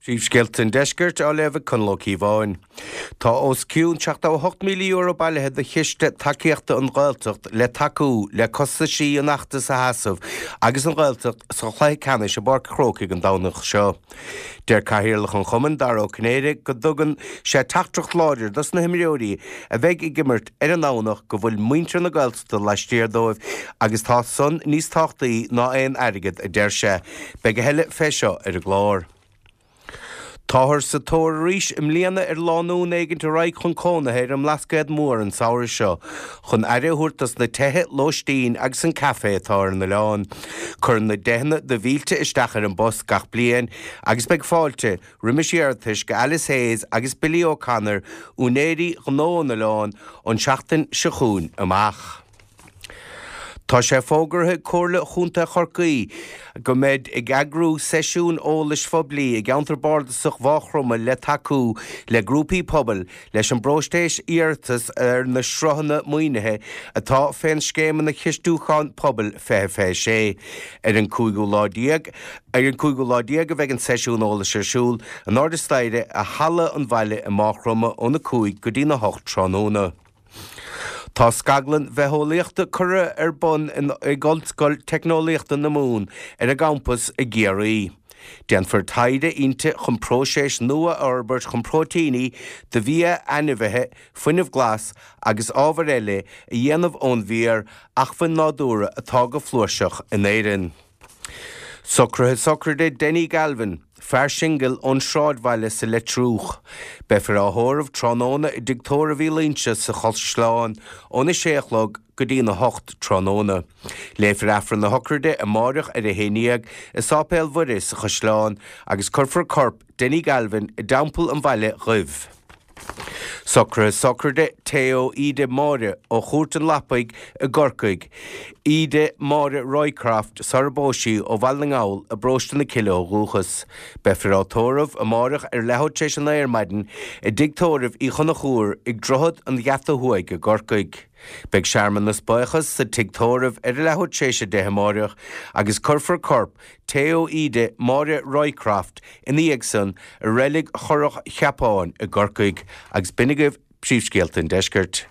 Príomhscéalta an Deiscirt á léamh ag Conall Ó Cíobháin. Tá os cionn €78,000 bailithe do Chiste Tacaíochta an Ghaeltacht le tacú le costaisí an fheachtais a sheasamh agus an Ghaeltacht sa chluiche ceannais i bPáirc a' Chrócaigh an Domhnach seo. Deir Cathaoirleach an chumainn, Dara Ó Cinnéide, go dtugann sé teachtaireacht láidir dos na himreoirí a bheidh ag imirt ar an nDomhnach go bhfuil muintir na Gaeltachta laistiar dóibh agus tá san níos tábhachtaí ná aon airgead, a deir sé. Beidh a thuilleadh fé seo ar an gclár. Táthar sa tóir arís i mbliana ar lánúin éigint a raghaidh chun cónaithe ar an mBlascaod Mór an samhradh seo chun aire a thabhairt dos na tithe lóistín agus an café atá ar an oileán. Cuireann na deicheanna de mhílte isteach ar an bpost gach bliain agus beidh fáilte roimis iarratais go Alice Hayes agus Billy O'Connor, úinéirí ghnó an oileáin, ón tseachtain seo chugainn amach. Tá sé fógartha ag Comhairle Chontae Chorcaí go mbeid ag eagrú seisiúin eolais phoiblí i gceantar bardasach Mhaigh Chromtha le tacú le grúpaí pobail leis an bpróiseas iarratas ar na sruthanna maoinithe atá fén Scéimeanna Chistiúcháin Pobail 2026. Ar an cúigiú lá déag ar an cúigiú lá déag a bheidh an seisiún eolais ar siúl in airde staighre i Halla an Bhaile i Maigh Chromtha óna 5 go dtína 8 tráthnóna. Tá scaglann bhitheolaíochta curtha ar bun ag Ollscoil Teicneolaíochta na Mumhan ar a gcampas i gCiarraí. Déanfar taighde inti chun próiseas nua a fhorbairt chun próitíní do bhia ainmhithe, fuinneamh glas agus ábhair eile a dhéanamh ón bhféar, acmhainn nádúrtha atá go flúirseach in Éirinn. Socruithe sochraide Denny Galvin, fear singil ón Sráidbhaile sa Leitriúch. Beifear á thórramh tráthnóna i dTigh Tórraimh Uí Loingsigh sa Chaisleán óna sé a chlog go dtína hocht tráthnóna. Léifear Aifreann na sochraide amáireach ar a haon dhéag i Sáipéal Mhuire sa Chaisleán agus cuirfear corp Denny Galvin i dTeampall an Bhaile Dhuibh. Socruithe sochraide Theo Íde Máire ó Chúirt an Lapaigh i gCorcaigh, Íde Máire Roycroft sara bpós sí ó Bhaile na nGall i bParóiste na Cille ó dhúchas. Beifear á tórramh amáireach ar leathuair tar éis a naoi ar maidin i dTigh Tórraimh Uí Chonchúir ag Droichead an Gheata Thuaidh i gCorcaigh. Beidh searmanas buíochas sa Tigh Tórraimh ar a leathuair tar éis a 10 amáireach agus cuirfear corp Theo Íde Máire Roycroft ina dhiaidh san i Reilig Churrach Cheapáin i gCorcaigh agus b'in agaibh príomhscéalta an deiscirt.